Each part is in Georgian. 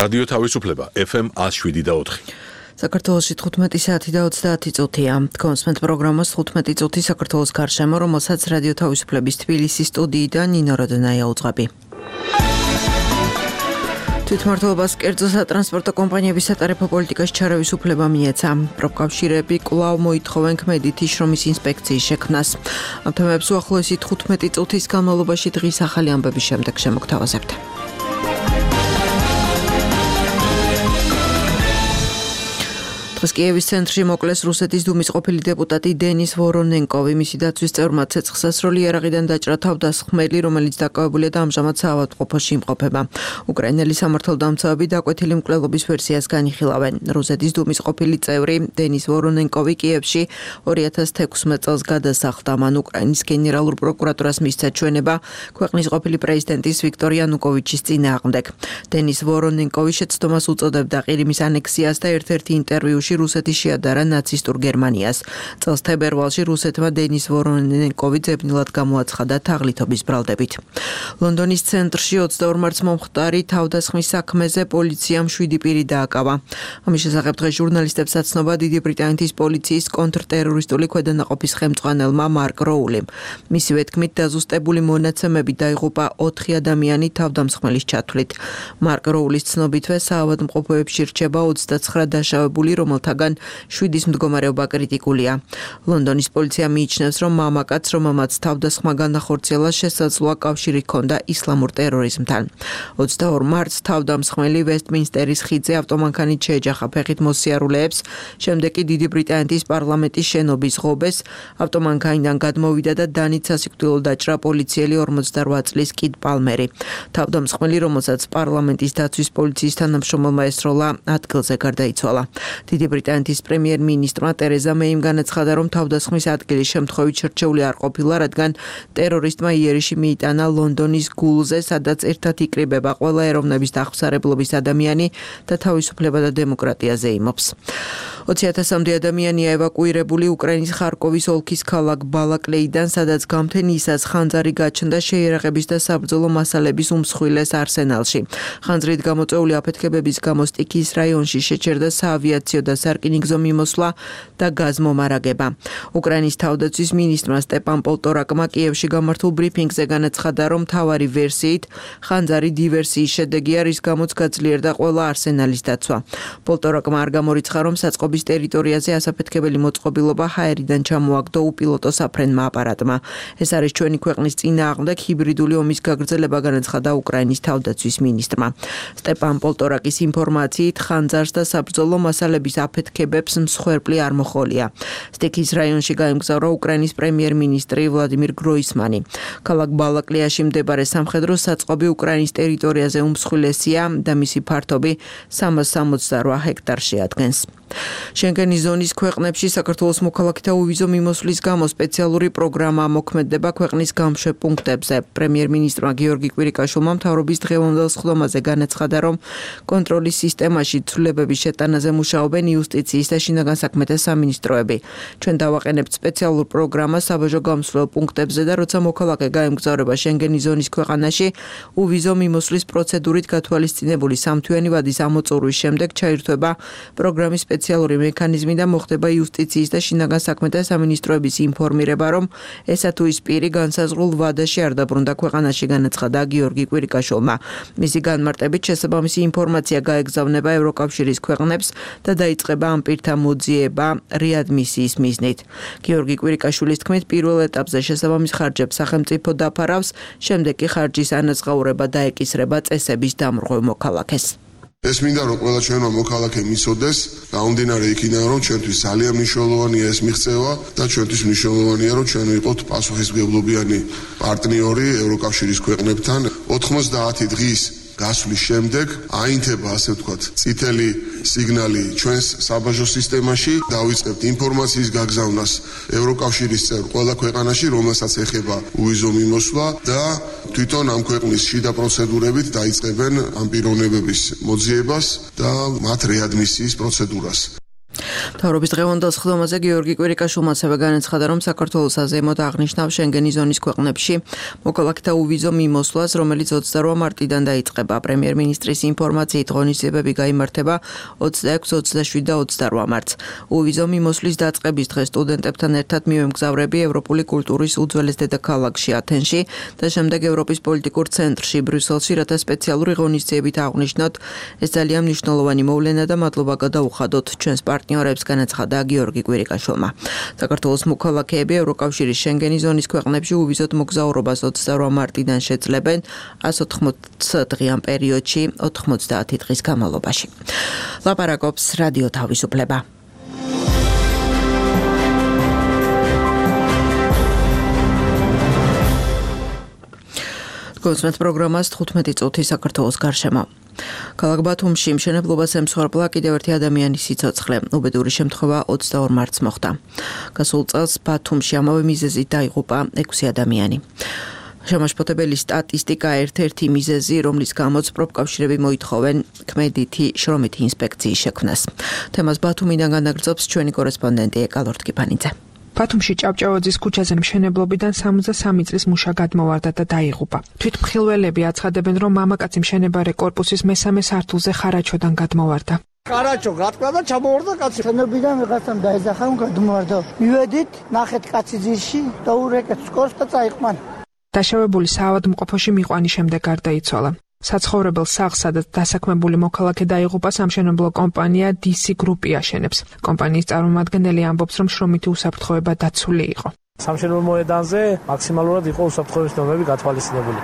რადიო თავისუფლება FM 107.4. საქართველოში 15 საათი და 30 წუთია. კონსმენტ პროგრამას 15 წუთი საქართველოს გარშემო, რომელსაც რადიო თავისუფლების თბილისის სტუდიიდან ნინო როდენაია უძღვები. თვითმმართველობას კერძო სატრანსპორტო კომპანიების სატარიფო პოლიტიკაში ჩარევის უფლება მიეცა. პროფკავშირები კვლავ მოითხოვენ ქმედითი შრომის ინსპექციის შექმნას. ამ თემებს უახლოესი 15 წუთის განმავლობაში დღის ახალი ამბების შემდეგ შემოგთავაზებთ. დღეს კიევის ცენტრში მოკლეს რუსეთის დუმის ყოფილი დეპუტატი დენის ვორონენკოვი. მისი დაცვის წევრმა ცეცხლსასროლი იარაღიდან დაჭრა თავდასხმელი, რომელიც დაკავებულია და ამჟამად საავადმყოფოში იმყოფება. უკრაინელი სამართალდამცავები დაკვეთილი მკვლელობის ვერსიას განიხილავენ. რუსეთის დუმის ყოფილი წევრი დენის ვორონენკოვი კიევში 2016 წელს გადასახლდა. მან უკრაინის გენერალურ პროკურატურას მისცა ჩვენება ქვეყნის ყოფილი პრეზიდენტის ვიქტორ იანუკოვიჩის წინააღმდეგ. დენის ვორონენკოვი შეცდომას უწოდებდა ყირიმის ანექსიას და ერთ-ერთი ინტერვიუში რუსეთი შეადარა ნაცისტურ გერმანიას. წელს თებერვალში რუსეთმა დენის ვორონენკოვი ძებნილად გამოაცხადა თაღლითობის ბრალდებით. ლონდონის ცენტრში 22 მარტს მომხდარი თავდასხმის საქმეზე პოლიციამ 7 პირი დააკავა. ამის შესახებ დღეს ჟურნალისტებს აცნობა დიდი ბრიტანეთის პოლიციის კონტრტერორისტული ქვედანაყოფის ხელმძღვანელმა მარკ როულიმ. მისივე თქმით, დაზუსტებული მონაცემები დაიღუპა 4 ადამიანი თავდამსხმელის ჩათვლით. მარკ როულის ცნობითვე საავადმყოფოებში რჩება 29 დაშავებული, რომელთაგან 7-ის მდგომარეობა კრიტიკულია. ლონდონის პოლიცია მიიჩნევს, რომ მამაკაცს, რომელმაც თავდასხმა განახორციელა, შესაძლოა კავშირი ჰქონდა ისლამურ ტერორიზმთან. 22 მარტს თავდამსხმელი ვესტმინსტერის ხიდზე ავტომანქანით შეეჯახა ფეხით მოსიარულეებს, შემდეგ კი დიდი ბრიტანეთის პარლამენტის შენობის ღობეს ავტომანქანიდან გადმოვიდა და დანით სასიკვდილო დაჭრა პოლიციელი 48 წლის კიდ პალმერი. თავდამსხმელი, რომელსაც პარლამენტის დაცვის პოლიციის თანამშრომელმა ესროლა, ადგილზე გარდაიცვალა. დიდი ბრიტანეთის პრემიერ-მინისტრმა ტერეზა მეიმ განაცხადა, რომ თავდასხმის ადგილის შემთხვევით შერჩეული არ ყოფილა, რადგან ტერორისტმა იერიში მიიტანა ლონდონის გულზე, სადაც ერთად იკრიბება ყველა ეროვნების დახმსარებლობის ადამიანი და თავისუფლება და დემოკრატიაზე იმობს. 20,000-მდე ადამიანია ევაკუირებული უკრაინის ხარკოვის ოლქის ქალაქ ბალაკლეიდან, სადაც გამთენიისას ხანძარი გაჩნდა შეიარაღების და საბრძოლო მასალების უმსხვილეს არსენალში. ხანძრით გამოწვეული აფეთქებების გამო სტიქიის რაიონში შეჩერდა საავიაციო და სარკინიგზო მიმოსვლა და გაზმომარაგება. უკრაინის თავდაცვის მინისტრმა სტეპან პოლტორაკმა კიევში გამართულ ბრიფინგზე განაცხადა, რომ მთავარი ვერსიით ხანძარი დივერსიის შედეგია, რის გამოც გაძლიერდა ყველა არსენალის დაცვა. პოლტორაკმა არ გამორიცხა, რომ საწყობის ტერიტორიაზე ასაფეთქებელი მოწყობილობა ჰაერიდან ჩამოაგდო უპილოტო საფრენმა აპარატმა. ეს არის ჩვენი ქვეყნის წინააღმდეგ ჰიბრიდული ომის გაგრძელება, განაცხადა უკრაინის თავდაცვის მინისტრმა. სტეპან პოლტორაკის ინფორმაციით ხანძარს და საბრძოლო მასალების აფეთქებებს მსხვერპლი არ მოხოლია. სტიქიის რაიონში გაემგზავრა უკრაინის პრემიერ-მინისტრი ვლადიმირ გროისმანი. ქალაქ ბალაკლეაში მდებარე სამხედრო საწყობი უკრაინის ტერიტორიაზე უმსხვილესია და მისი ფართობი 368 ჰექტარში ადგენს. შენგენის ზონის ქვეყნებში საქართველოს მოქალაქეთა უვიზო მიმოსვლის გამო სპეციალური პროგრამა მოქმედება ქვეყნის გამშვებ პუნქტებზე. პრემიერ-მინისტრმა გიორგი კვირიკაშვილმა მთავრობის დღევანდელ სხდომაზე განაცხადა, რომ კონტროლის სისტემაში ცვლილებების შეტანაზე მუშაობენ იუსტიციის და შინაგან საქმეთა სამინისტროები. ჩვენ დავაყენებთ სპეციალურ პროგრამას საბაჟო გამსვლელ პუნქტებზე და როცა მოქალაქე გაემგზავრება შენგენის ზონის ქვეყანაში, უვიზო მიმოსვლის პროცედურით გათვალისწინებული 3 თვიანი ვადის ამოწურვის შემდეგ ჩაირთვება პროგრამის სპეციალური მექანიზმი და მოხდება იუსტიციის და შინაგან საქმეთა სამინისტროების ინფორმირება, რომ ესა თუ ის პირი განსაზღვრულ ვადაში არ დაბრუნდა ქვეყანაში, განაცხადა გიორგი კვირიკაშვილმა. მისი განმარტებით შესაბამისი ინფორმაცია გაეგზავნება ევროკავშირის ქვეყნებს და დაიწყება ამ პირთა მოძიება რეადმისიის მიზნით. გიორგი კვირიკაშვილის თქმით, პირველ ეტაპზე შესაბამის ხარჯებს სახელმწიფო დაფარავს, შემდეგ კი ხარჯის ანაზღაურება დაეკისრება წესების დამრღვევ მოქალაქეს. ეს მინდა რომ ყველა ჩვენმა მოქალაქემ იცოდეს, გამომდინარე იქიდან რომ ჩვენთვის ძალიან მნიშვნელოვანია ეს მიღწევა და ჩვენთვის მნიშვნელოვანია რომ ჩვენ ვიყოთ პასუხისმგებლობიანი პარტნიორი ევროკავშირის ქვეყნებთან. 90 დღის გასვლის შემდეგ აინთება, ასე ვთქვათ, წითელი სიგნალი ჩვენს საბაჟო სისტემაში, დავიწყებთ ინფორმაციის გაგზავნას ევროკავშირის წევრ ყველა ქვეყანაში, რომელსაც ეხება უვიზო მიმოსვლა და თვითონ ამ ქვეყნის შიდა პროცედურებით დაიწყებენ ამ პიროვნებების მოძიებას და მათ რეადმისიის პროცედურას. მთავრობის დღევანდელ სხდომაზე გიორგი კვირიკაშვილმა ასევე განაცხადა, რომ საქართველოს აზეიმოდ აღნიშნავს შენგენის ზონის ქვეყნებში მოქალაქეთა უვიზო მიმოსვლას, რომელიც 28 მარტიდან დაიწყება. პრემიერ-მინისტრის ინფორმაციით ღონისძიებები გაიმართება 26, 27 და 28 მარტს. უვიზო მიმოსვლის დაწყების დღეს სტუდენტებთან ერთად მივემგზავრები ევროპული კულტურის უძველეს დედაქალაქში ათენში და შემდეგ ევროპის პოლიტიკურ ცენტრში ბრიუსელში, რათა სპეციალური ღონისძიებით აღნიშნოთ. ეს ძალიან მნიშვნელოვანი მოვლენა და მადლობა გადაუხადოთ ჩვენს პარტნიორებს, განაცხადა გიორგი კვირიკაშვილმა. საქართველოს მოქალაქეები ევროკავშირის შენგენის ზონის ქვეყნებში უვიზოდ მოგზაურობას 28 მარტიდან შეძლებენ 180 დღიან პერიოდში 90 დღის განმავლობაში. ლაპარაკობს რადიო თავისუფლება. კონსმეთ პროგრამას 15 წუთი საქართველოს გარშემო. ქალაქ ბათუმში მშენებლობას ემსხვერპლა კიდევ ერთი ადამიანის სიცოცხლე. უბედური შემთხვევა 22 მარტს მოხდა. გასულ წელს ბათუმში ამავე მიზეზით დაიღუპა 6 ადამიანი. შემაშფოთებელი სტატისტიკა ერთ-ერთი მიზეზი, რომლის გამოც პროფკავშირები მოითხოვენ ქმედითი შრომითი ინსპექციის შექმნას. თემას ბათუმიდან განაგრძობს ჩვენი კორესპონდენტი ეკალორტკიფანიძე. ბათუმში ჭავჭავაძის ქუჩაზე მშენებლობიდან 63 წლის მუშა გადმოვარდა და დაიღუპა. თვითმხილველები აცხადებენ, რომ მამაკაცი მშენებარე კორპუსის მესამე სართულზე ხარაჩოდან გადმოვარდა. ხარაჩო გატყდა და ჩამოვარდა კაცი. მშენებლობიდან ვიღაცამ დაეძახა, გადმოვარდა. მივედით, ნახეთ კაცი ძირში და ურეკეთ სკოლს და წაიყვანა. დაშავებული საავადმყოფოში მიყვანის შემდეგ გარდაიცვალა. საცხოვრებელ სახლს, სადაც დასაქმებული მოქალაქე დაიღუპა, სამშენებლო კომპანია DC Group აშენებს. კომპანიის წარმომადგენელი ამბობს, რომ შრომითი უსაფრთხოება დაცული იყო. სამშენებლო მოედანზე მაქსიმალურად იყო უსაფრთხოების ნორმები გათვალისწინებული.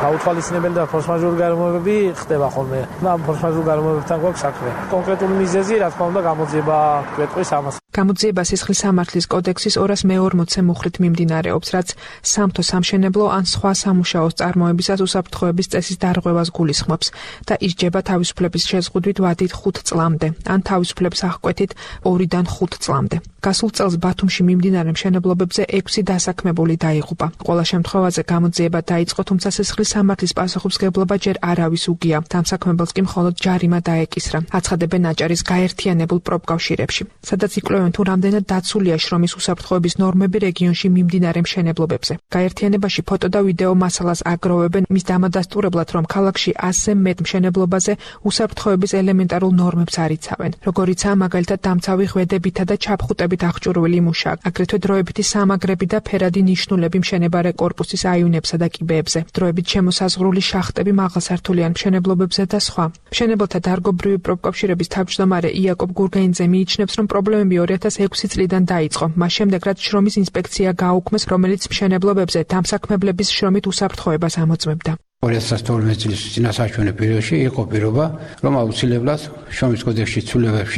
გაუთვალისწინებელი და ფორსმაჟორული გარემოებები ხდება ხოლმე. და ფორსმაჟორულ გარემოებებთან გვაქვს საქმე. კონკრეტული მიზეზი, რა თქმა უნდა, გამოძიება გვეტყვის ამას. გამოძიება სისხლის სამართლის კოდექსის 240-ე მუხლით მიმდინარეობს, რაც სამთო სამშენებლო ან სხვა სამუშაოს წარმოებისას უსაფრთხოების წესის დარღვევას გულისხმობს და ისჯება თავისუფლების შეზღუდვით ვადით 5 წლამდე, ან თავისუფლების აღკვეთით 2-დან 5 წლამდე. გასულ წელს ბათუმში მიმდინარე მშენებლობებზე 6 დასაქმებული დაიღუპა. ყველა შემთხვევაზე გამოძიება დაიწყო, თუმცა სისხლის სამართლის პასუხისმგებლობა ჯერ არავის უგია. დამსაქმებელს კი მხოლოდ ჯარიმა დაეკისრა. აცხადებენ აჭარის გაერთიანებულ პროფკავშირებში, სადაც იკვლევენ თუ რამდენად დაცულია შრომის უსაფრთხოების ნორმები რეგიონში მიმდინარე მშენებლობებზე. გაერთიანებაში ფოტო და ვიდეო მასალას აგროვებენ მის დამადასტურებლად, რომ ქალაქში 100-ზე მეტ მშენებლობაზე უსაფრთხოების ელემენტარულ ნორმებს არ იცავენ. როგორიცაა მაგალითად დამცავი ღვედებითა და ჩაფხუტებით აღჭურვილი მუშა, აგრეთვე დროებითი სამაგრები და ფერადი ნიშნულები მშენებარე კორპუსის აივნებსა და კიბეებზე, დროებით შემოსაზღვრული შახტები მაღალსართულიან მშენებლობებზე და სხვა. მშენებელთა დარგობრივი პროფკავშირების თავმჯდომარე იაკობ გურგენიძე მიიჩნევს, რომ პრობლემები 2006 წლიდან დაიწყო. მას შემდეგ, რაც შრომის ინსპექცია გააუქმეს, რომელიც მშენებლობებზე დამსაქმებლების შრომით უსაფრთხოებას ამოწმებდა. 2012 წლის წინასაჩვენე პერიოდში იყო პირობა, რომ აუცილებლად შრომის კოდექსში ცვლილებები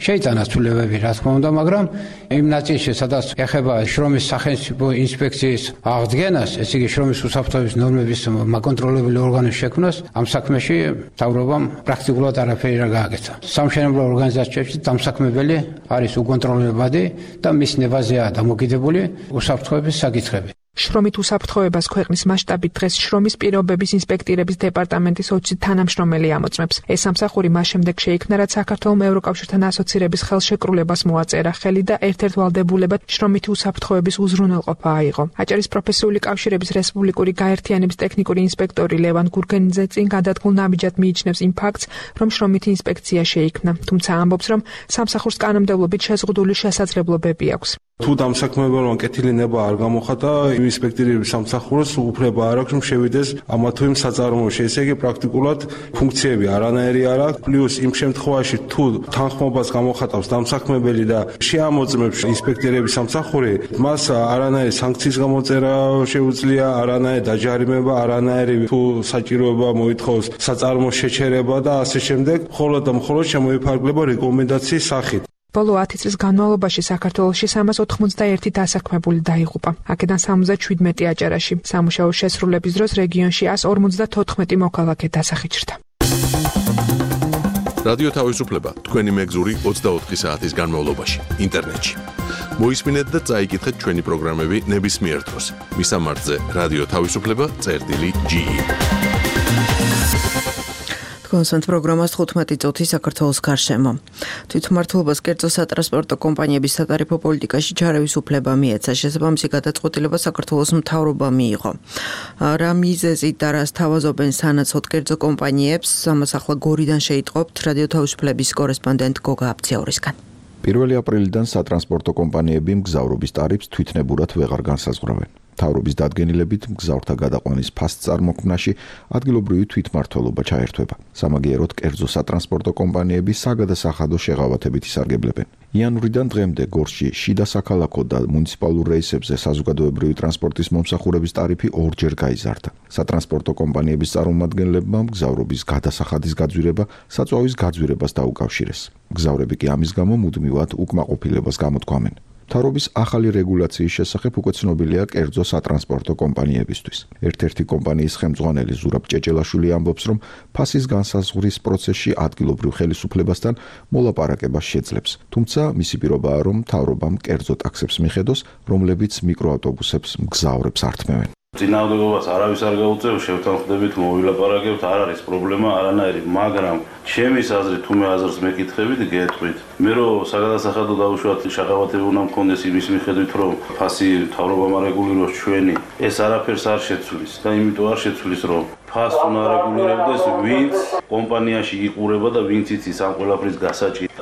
შეიტანა ცვლილებები, რა თქმა უნდა, მაგრამ იმ ნაწილში, სადაც ეხება შრომის სახელმწიფო ინსპექციის აღდგენას, ესე იგი შრომის უსაფრთხოების ნორმების მაკონტროლებელი ორგანოს შექმნას, ამ საქმეში მთავრობამ პრაქტიკულად არაფერი არ გააკეთა. სამშენებლო ორგანიზაციებში დამსაქმებელი არის უკონტროლებადი და მის ნებაზეა დამოკიდებული უსაფრთხოების საკითხები. შრომით უსაფრთხოებას ქვეყნის მასშტაბით დღეს შრომის პირობების ინსპექტირების დეპარტამენტის 20 თანამშრომელი ამოწმებს. ეს სამსახური მას შემდეგ შეიქმნა, რაც საქართველოს ევროკავშირთან ასოცირების ხელშეკრულებას მოაწერა ხელი და ერთ-ერთ ვალდებულებად შრომითი უსაფრთხოების უზრუნველყოფა აიღო. აჭარის პროფესიული კავშირების რესპუბლიკური გაერთიანების ტექნიკური ინსპექტორი ლევან გურგენიძე წინ გადადგმულ ნაბიჯად მიიჩნევს იმ ფაქტს, რომ შრომითი ინსპექცია შეიქმნა, თუმცა ამბობს, რომ სამსახურს კანონმდებლობით შეზღუდული შესაძლებლობები აქვს. თუ დამსაქმებელმა კეთილი ნება არ გამოხატა, ინსპექტორების სამსახურს უფლება არ აქვს, რომ შევიდეს ამა თუ იმ საწარმოოში. ესე იგი პრაქტიკულად ფუნქციები არანაირი არ აქვს. პლუს იმ შემთხვევაში თუ თანხმობას გამოხატავს დამსაქმებელი და შეამოწმებს ინსპექტორების სამსახური, მას არანაირი სანქციის გამოწერა შეუძლია, არანაირი დაჯარიმება, არანაირი თუ საჭიროება მოითხოვს საწარმოს შეჩერება და ასე შემდეგ, მხოლოდ და მხოლოდ შემოიფარგლება რეკომენდაციის სახით. ბოლო 10 წლის განმავლობაში საქართველოში 391 დასაქმებული დაიღუპა. აქედან 77 აჭარაში. სამუშაოს შესრულების დროს რეგიონში 154 მოქალაქე დასახიჩრდა. რადიო თავისუფლება, თქვენი მეგზური 24 საათის განმავლობაში, ინტერნეტში. მოისმინეთ და წაიკითხეთ ჩვენი პროგრამები ნებისმიერ დროს. მისამართზე რადიო თავისუფლება.ge კონსენტ პროგრამას 15 წუთი საქართველოს გარშემო. თვითმმართველობას კერძო სატრანსპორტო კომპანიების სატარიფო პოლიტიკაში ჩარევის უფლება მიეცა. შესაბამისი გადაწყვეტილება საქართველოს მთავრობამ მიიღო. რა მიზეზით და რას თავაზობენ სანაცვლოდ კერძო კომპანიებს, ამას ახლა გორიდან შეიტყობთ რადიო თავისუფლების კორესპონდენტ გოგა აბციაურისგან. 1 აპრილიდან სატრანსპორტო კომპანიები მგზავრობის ტარიფს თვითნებურად ვეღარ განსაზღვრავენ. მთავრობის დადგენილებით მგზავრთა გადაყვანის ფასწარმოქმნაში ადგილობრივი თვითმმართველობა ჩაერთვება. სამაგიეროდ კერძო სატრანსპორტო კომპანიები საგადასახადო შეღავათებით ისარგებლებენ. იანვრიდან დღემდე გორში შიდა საქალაქო და მუნიციპალურ რეისებზე საზოგადოებრივი ტრანსპორტის მომსახურების ტარიფი ორჯერ გაიზარდა. სატრანსპორტო კომპანიების წარმომადგენლებმა მგზავრობის გადასახადის გაძვირება საწვავის გაძვირებას დაუკავშირეს. მგზავრები კი ამის გამო მუდმივად უკმაყოფილებას გამოთქვამენ. მთავრობის ახალი რეგულაციის შესახებ უკვე ცნობილია კერძო სატრანსპორტო კომპანიებისთვის. ერთ-ერთი კომპანიის ხელმძღვანელი ზურაბ ჭეჭელაშვილი ამბობს, რომ ფასის განსაზღვრის პროცესში ადგილობრივ ხელისუფლებასთან მოლაპარაკება შეძლებს. თუმცა მისი პირობაა, რომ მთავრობამ კერძო ტაქსებს მიხედოს, რომლებიც მიკროავტობუსებს მგზავრებს ართმევენ. წინააღმდეგობას არავის არ გაუწევს, შევთანხმდებით, მოვილაპარაკებთ, არ არის პრობლემა არანაირი, მაგრამ ჩემის აზრით, თუ მე აზრს მეკითხებით, გეტყვით. მე რომ საგადასახადო დაუშვათ შეღავათები უნდა მქონდეს იმის მიხედვით, რომ ფასი მთავრობამ არეგულიროს ჩვენი, ეს არაფერს არ შეცვლის და იმიტომ არ შეცვლის, რომ ფასს უნდა არეგულირებდეს, ვინც კომპანიაში იყურება და ვინც იცის ამ ყველაფრის გასაჭირს.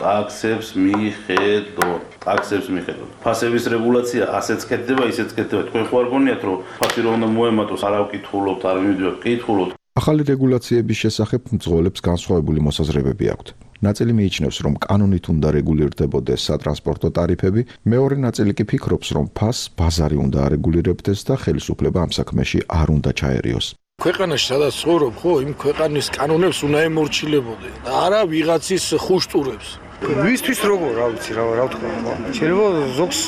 ტაქსებს მიხედოთ. ფასების რეგულაცია ასეც კეთდება, ისეც კეთდება. თქვენ ხო არ გონიათ, რომ ფასი რომ უნდა მოემატოს, არ ავკითხულობთ, არ მივიდოთ, კითხულობთ. ახალი რეგულაციების შესახებ მძღოლებს განსხვავებული მოსაზრებები აქვთ. ნაწილი მიიჩნევს, რომ კანონით უნდა რეგულირდებოდეს სატრანსპორტო ტარიფები, მეორე ნაწილი კი ფიქრობს, რომ ფასს ბაზარი უნდა არეგულირებდეს და ხელისუფლება ამ საქმეში არ უნდა ჩაერიოს. ქვეყანაში სადაც ცხოვრობ, ხო, იმ ქვეყანის კანონებს უნდა ემორჩილებოდე და არა ვიღაცის ხუშტურებს. ვისთვის როგორ, რა ვიცი, რა ვთქვა, შეიძლება ზოგს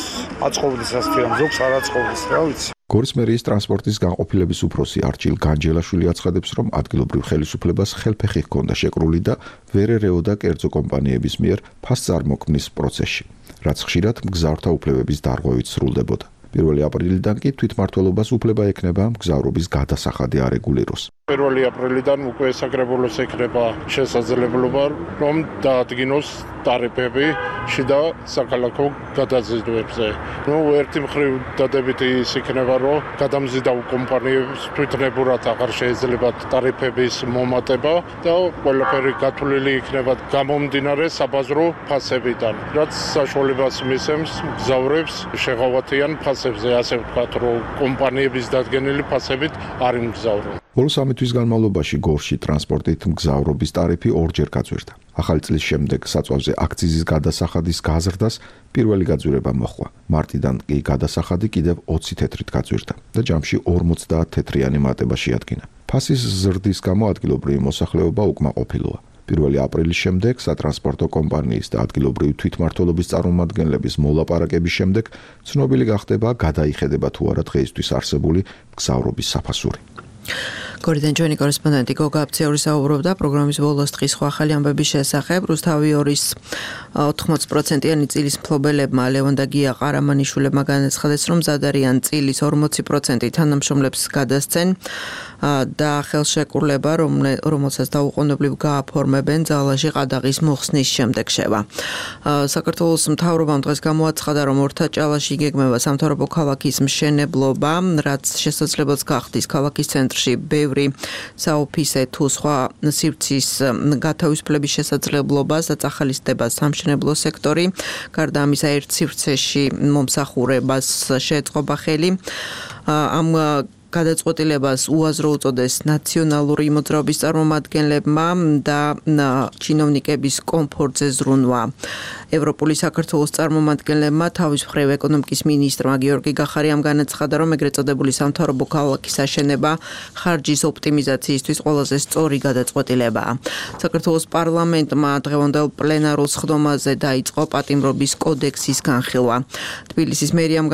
აწყობდეს ასეთი რამ, ზოგს არ აწყობდეს, რა ვიცი. გორის მერიის ტრანსპორტის განყოფილების უფროსი არჩილ განჯელაშვილი აცხადებს, რომ ადგილობრივ ხელისუფლებას ხელფეხი ჰქონდა შეკრული და ვერ ერეოდა კერძო კომპანიების მიერ ფასწარმოქმნის პროცესში, რაც ხშირად მგზავრთა უფლებების დარღვევით სრულდებოდა. 1 აპრილიდან კი თვითმმართველობას უფლება ექნება მგზავრობის გადასახადი არეგულიროს. 1 აპრილიდან უკვე საკრებულოს ექნება შესაძლებლობა, რომ დაადგინოს ტარიფები შიდა საქალაქო გადაზიდვებზე. ერთი მხრივ დადებითი ის იქნება, რომ გადამზიდავ კომპანიებს თვითნებურად აღარ შეიძლებათ ტარიფების მომატება და ყველაფერი გათვლილი იქნება გამომდინარე საბაზრო ფასებიდან, რაც საშუალებას მისცემს მგზავრებს შეღავათიან ფასებზე, ასე ვთქვათ, რომ კომპანიების დადგენილი ფასებით არ იმგზავრონ. ბოლო 3 თვის განმავლობაში გორში ტრანსპორტით მგზავრობის ტარიფი ორჯერ გაძვირდა. ახალი წლის შემდეგ საწვავზე აქციზის გადასახადის გაზრდას პირველი გაძვირება მოხდა. მარტიდან კი გადასახადი კიდევ 20 თეთრით გაძვირდა და ჯამში 50 თეთრიანი მატება შეადგინა. ფასის ზრდის გამო ადგილობრივი მოსახლეობა უკმაყოფილოა. 1 აპრილის შემდეგ სატრანსპორტო კომპანიის და ადგილობრივი თვითმმართველობის წარმომადგენლების მოლაპარაკების შემდეგ ცნობილი გახდება, გადაიხედება თუ არა დღეისთვის არსებული მგზავრობის საფასური. გორიდან ჩვენი კორესპონდენტი გოგა აბციაური საუბრობდა პროგრამის ბოლოს დღის სხვა ახალი ამბების შესახებ. რუსთავი 2-ის 80%-იანი წილის მფლობელებმა ლევონ და გია ყარამანიშვილებმა განაცხადეს, რომ მზადარიან წილის 40% თანამშრომლებს გადასცენ და ხელშეკრულება, რომელსაც დაუყოვნებლივ გააფორმებენ ძალაში ყადაღის მოხსნის შემდეგ შევა. საქართველოს მთავრობამ დღეს გამოაცხადა, რომ ორთაჭალაში იგეგმება სამთავრობო ქალაქის მშენებლობა, რაც შესაძლებელს გახდის ქალაქის ცენტრში ბევრი საოფისე თუ სხვა სივრცის გათავისუფლების შესაძლებლობას და წახალისდება სამშენებლო სექტორი. გარდა ამისა, ერთ სივრცეში მომსახურებას შეეწყობა ხელი. ამ გადაწყვეტილებას უაზრო უწოდეს ნაციონალური მოძრაობის წარმომადგენლებმა და ჩინოვნიკების კომფორტზე ზრუნვა. ევროპული საქართველოს წარმომადგენლებმა თავის მხრივ ეკონომიკის მინისტრმა გიორგი გახარიამ განაცხადა, რომ ეგრეთ წოდებული სამთავრობო ქალაქის აშენება ხარჯის ოპტიმიზაციისთვის ყველაზე სწორი გადაწყვეტილებაა. საქართველოს პარლამენტმა დღევანდელ პლენარულ სხდომაზე დაიწყო პატიმრობის კოდექსის განხილვა. თბილისის მერიამ